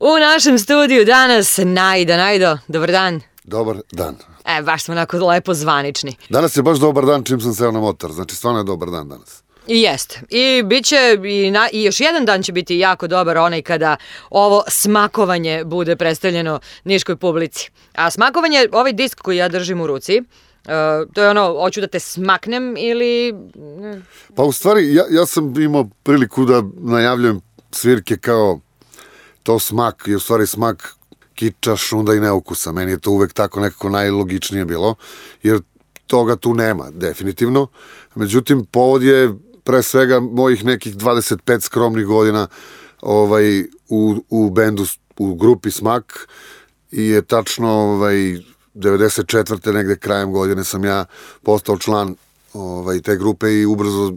U našem studiju danas Najdo, dobar dan. Dobar dan. Baš smo onako lepo zvanični. Danas je baš dobar dan čim sam seo na motor, znači stvarno je dobar dan danas. I jeste. I bit će, i još jedan dan će biti jako dobar, onaj kada ovo smakovanje bude predstavljeno niškoj publici. A smakovanje, ovaj disk koji ja držim u ruci, to je ono, hoću da te smaknem ili... Pa u stvari, ja sam imao priliku da najavljujem svirke kao to smak, je u stvari smak kiča, šunda i neukusa. Meni je to uvek tako nekako najlogičnije bilo, jer toga tu nema, definitivno. Međutim, povod je pre svega mojih nekih 25 skromnih godina u bendu, u grupi Smak, i je tačno 94. negde krajem godine sam ja postao član te grupe i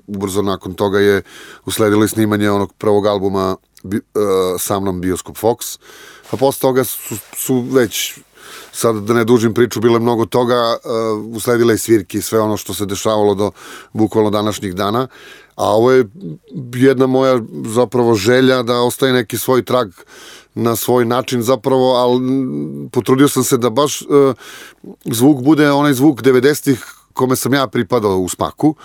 ubrzo nakon toga je usledilo i snimanje onog prvog albuma sa mnom Bioskop Fox, a posle toga su već, sad da ne dužim priču, bilo je mnogo toga, usledile i svirke i sve ono što se dešavalo do bukvalno današnjih dana, a ovo je jedna moja zapravo želja da ostaje neki svoj trag na svoj način zapravo, ali potrudio sam se da baš zvuk bude onaj zvuk 90-ih kome sam ja pripadao u Smaku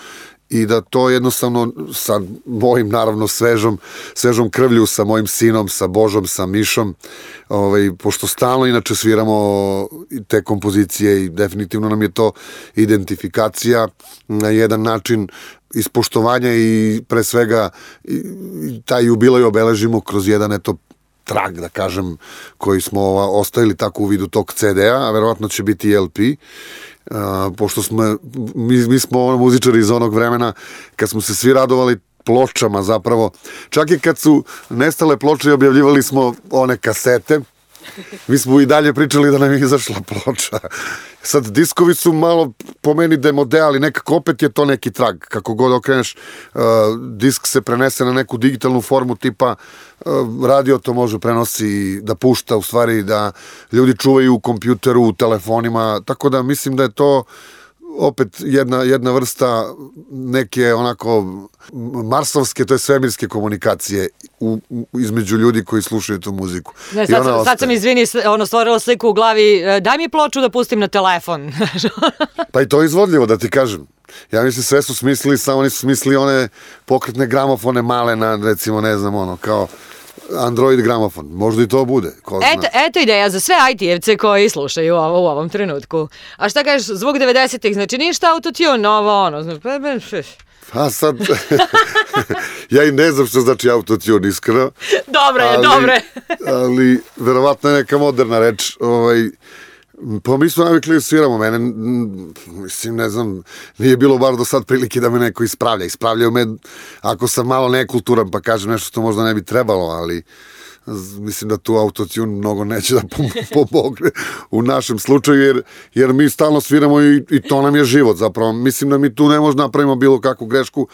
i da to jednostavno sa mojim, naravno, svežom krvlju, sa mojim sinom, sa Božom, sa Mišom, pošto stalno inače sviramo te kompozicije i definitivno nam je to identifikacija na jedan način ispoštovanja i pre svega taj jubilej obeležimo kroz jedan trag, da kažem, koji smo ostavili tako u vidu tog CD-a, a verovatno će biti i LP, pošto mi smo muzičari iz onog vremena kad smo se svi radovali pločama zapravo. Čak i kad su nestale ploče i objavljivali smo one kasete, mi smo i dalje pričali da nam je izašla ploča. Sad, diskovi su malo po meni demode, ali nekako opet je to neki trag. Kako god okreneš, disk se prenese na neku digitalnu formu tipa radio to može prenosi, da pušta, u stvari da ljudi čuvaju u kompjuteru, u telefonima, tako da mislim da je to opet jedna vrsta neke onako marsovske, to je svemirske komunikacije između ljudi koji slušaju tu muziku. Ne, sad sam, izvini, stvorila sliku u glavi, daj mi ploču da pustim na telefon. Pa i to je izvodljivo, da ti kažem. Ja mislim, sve su smislili, samo oni su smislili one pokretne gramofone male na, recimo, ne znam, kao Android gramofon, možda i to bude. Eto ideja za sve IT-evce koji slušaju u ovom trenutku. A šta kažeš, zvuk 90-ih, znači ništa autotune, novo ono. Pa sad, ja i ne znam što znači autotune, iskreno. Dobre. Ali, verovatno je neka moderna reč, pa mi smo navikli da sviramo, mene, mislim, ne znam, nije bilo bar do sad prilike da me neko ispravlja. Ispravljaju me ako sam malo nekulturan pa kažem nešto što možda ne bi trebalo, ali mislim da tu autotune mnogo neće da pomogne u našem slučaju, jer mi stalno sviramo i to nam je život zapravo. Mislim da mi tu ne možemo napravimo bilo kakvu grešku,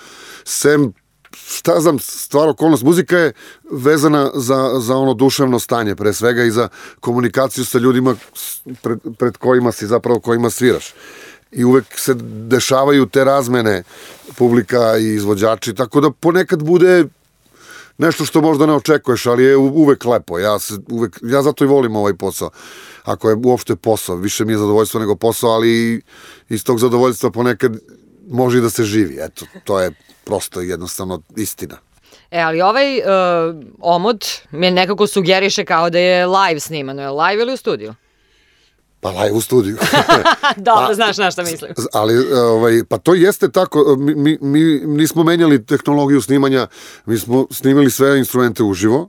sem šta znam, stvar, okolnost. Muzika je vezana za ono duševno stanje, pre svega, i za komunikaciju sa ljudima pred kojima si, zapravo kojima sviraš. I uvek se dešavaju te razmene publika i izvođači, tako da ponekad bude nešto što možda ne očekuješ, ali je uvek lepo. Ja zato i volim ovaj posao. Ako je uopšte posao, više mi je zadovoljstvo nego posao, ali iz tog zadovoljstva ponekad može i da se živi. Eto, to je prosto jednostavno istina. Ali ovaj omot mi nekako sugeriše kao da je live snimano. Je live ili u studiju? Pa live u studiju. Dobro, znaš na šta mislim. Ali, pa to jeste tako. Mi nismo menjali tehnologiju snimanja, mi smo snimili sve instrumente uživo.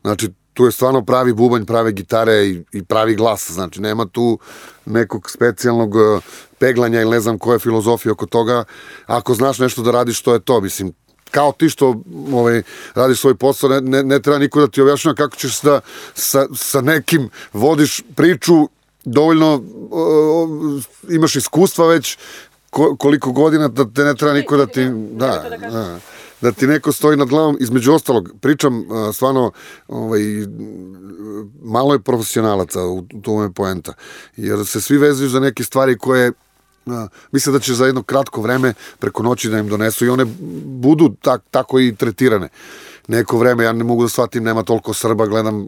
Znači, tu je stvarno pravi bubanj, prave gitare i pravi glas. Znači, nema tu nekog specijalnog peglanja ili ne znam koja je filozofija oko toga. Ako znaš nešto da radiš, to je to. Mislim, kao ti što radiš svoj posao, ne treba niko da ti objašnjava kako ćeš da sa nekim vodiš priču, dovoljno imaš iskustva već koliko godina da te ne treba niko da ti... Da ti neko stoji nad glavom. Između ostalog, pričam stvarno, malo je profesionalaca, to je poenta, jer se svi vezuju za neke stvari koje misle da će za jedno kratko vreme preko noći da im donesu i one budu tako i tretirane. neko vreme, ja ne mogu da shvatim, nema toliko Srba, gledam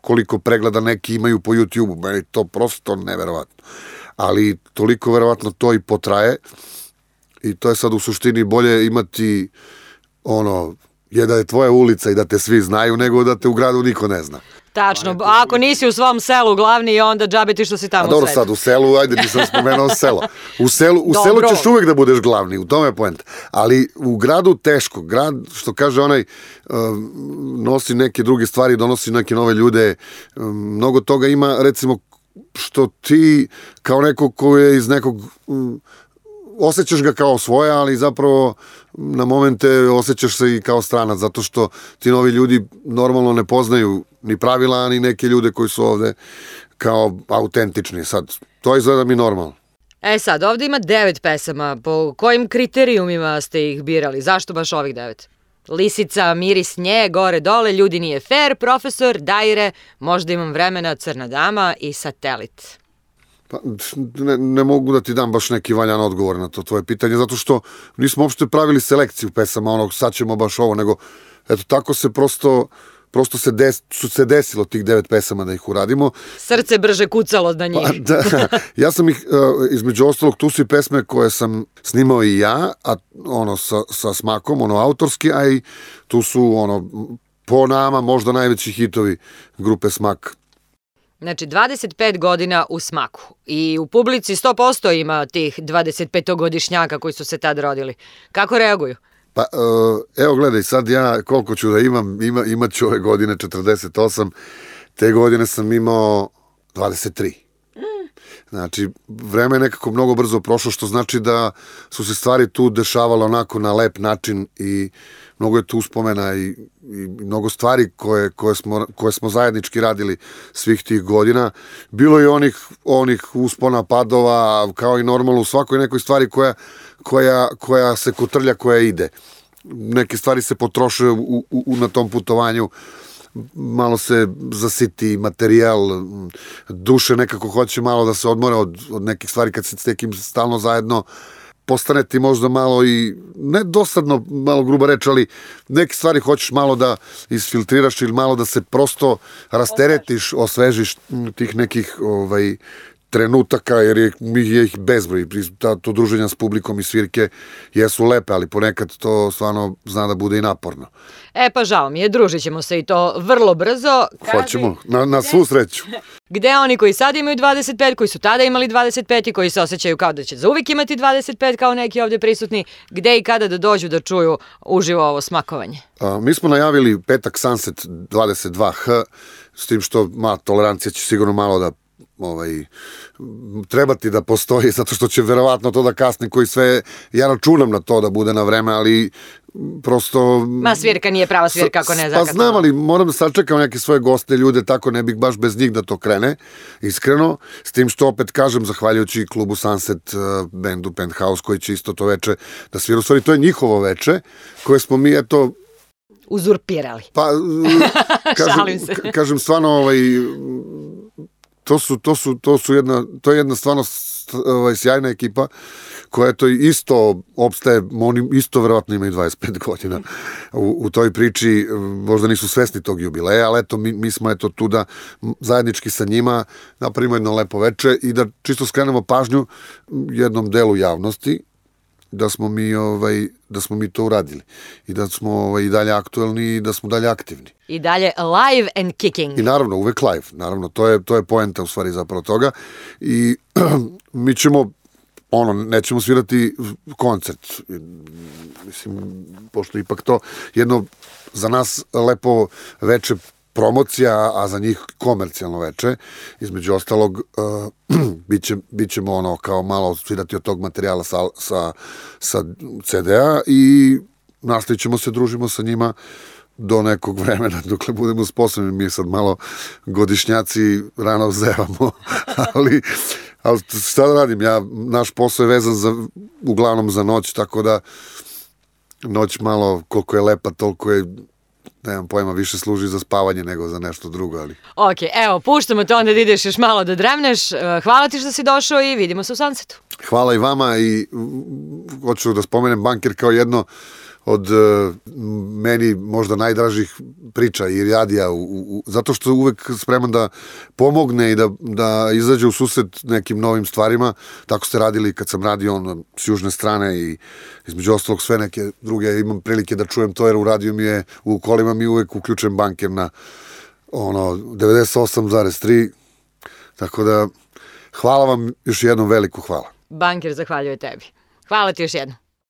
koliko pregleda neki imaju po YouTube-u, meni to prosto neverovatno. Ali toliko verovatno to i potraje i to je sad u suštini bolje imati da je tvoja ulica i da te svi znaju, nego da te u gradu niko ne zna. Tačno, ako nisi u svom selu glavni, onda džabe ti što si tamo u dobro, svetu. sad u selu, ajde, nisam spomenuo selo. U selu ćeš uvek da budeš glavni, u tome je poenta. Ali u gradu teško. Grad, što kaže onaj, nosi neke druge stvari, donosi neke nove ljude. Mnogo toga ima, recimo, što ti kao neko ko je iz nekog... osjećaš ga kao svoje, ali zapravo na momente osjećaš se i kao stranac, zato što ti novi ljudi normalno ne poznaju ni pravila, ni neke ljude koji su ovde kao autentični. Sad, to izgleda mi normalno. Sad, ovde ima 9 pesama. Po kojim kriterijumima ste ih birali? Zašto baš ovih 9? Lisica, miris nje, gore dole, ljudi nije fair, profesor, Daire, možda imam vremena, Crna dama i Satelit. Pa, ne mogu da ti dam baš neki valjan odgovor na to tvoje pitanje, zato što nismo uopšte pravili selekciju pesama, sad ćemo baš ovo, nego eto tako se prosto su se desilo tih 9 pesama da ih uradimo. Srce brže kucalo na njih. Pa, da, ja sam ih, između ostalog, tu su i pesme koje sam snimao i ja, a sa smakom, autorski, a i tu su, po nama možda najveći hitovi grupe Smak. Znači, 25 godina u Smaku i u publici 100% ima tih 25-godišnjaka koji su se tad rodili. Kako reaguju? Pa, evo gledaj, sad ja koliko ću da imat ću ove godine 48, te godine sam imao 23. Znači, vreme je nekako mnogo brzo prošlo, što znači da su se stvari tu dešavale onako na lep način i mnogo je tu uspomena i mnogo stvari koje smo zajednički radili svih tih godina. Bilo je onih uspona, padova, kao i normalno u svakoj nekoj stvari koja se kotrlja, koja ide. Neke stvari se potroše na tom putovanju, malo se zasiti materijal, duše nekako hoće malo da se odmore od nekih stvari kad se s nekim stalno zajedno, postane ti možda malo i, ne dosadno, malo gruba reč, ali neke stvari hoćeš malo da isfiltriraš ili malo da se prosto rasteretiš, osvežiš tih nekih trenutaka, jer je ih bezbroj. To druženja s publikom i svirke jesu lepe, ali ponekad to stvarno zna da bude i naporno. Pa žao mi je, družit ćemo se i to vrlo brzo. Hoćemo, na svu sreću. Gde oni koji sad imaju 25, koji su tada imali 25 i koji se osjećaju kao da će zauvijek imati 25 kao neki ovdje prisutni, gde i kada da dođu da čuju uživo ovo smakovanje? Mi smo najavili petak Sunset 22H, s tim što tolerancija će sigurno malo da trebati da postoji, zato što će verovatno to da kasni, koji sve, ja računam na to da bude na vreme, ali prosto... Svirka nije prava svirka ako ne zakatno. Pa znam, ali moram da sačekam neke svoje goste, ljude, tako ne bih baš bez njih da to krene, iskreno, s tim što opet kažem, zahvaljujući klubu Sunset, bendu Penthouse, koji će isto to veče da svira, u stvari to je njihovo veče, koje smo mi, uzurpirali. Pa, kažem stvarno, to je jedna stvarno sjajna ekipa koja isto opstaje, oni isto verovatno imaju 25 godina u toj priči, možda nisu svesni tog jubileja, ali mi smo tu da zajednički sa njima napravimo jedno lepo veče i da čisto skrenemo pažnju jednom delu javnosti da smo mi to uradili i da smo i dalje aktuelni i da smo dalje aktivni. I dalje live and kicking. I naravno, uvek live. Naravno, to je poenta u stvari zapravo toga. I mi ćemo, nećemo svirati koncert. Mislim, pošto ipak to jedno za nas lepo veče promocija, a za njih komercijalno veče. Između ostalog, bit ćemo kao malo svirati od tog materijala sa CD-a i nastavit ćemo se, družimo sa njima do nekog vremena, dokle budemo sposobni. Mi sad malo godišnjaci rano zevamo, ali šta da radim, naš posao je vezan uglavnom za noć, tako da noć malo, koliko je lepa, toliko je, nemam pojma, više služi za spavanje nego za nešto drugo, ali... Ok, evo, puštamo te onda da ideš još malo da dremneš. Hvala ti što si došao i vidimo se u Sunsetu. Hvala i vama i hoću da spomenem Bunker kao jedno od meni možda najdražih priča i radija, zato što je uvek spreman da pomogne i da izađe u susret nekim novim stvarima. Tako ste radili kad sam radio s južne strane i između ostalog sve neke druge. Imam prilike da čujem to jer u radiju mi je, u kolima mi uvek uključujem banker na 98,3. Tako da hvala vam još jednom, veliko hvala. Banker zahvaljuje tebi. Hvala ti još jednom.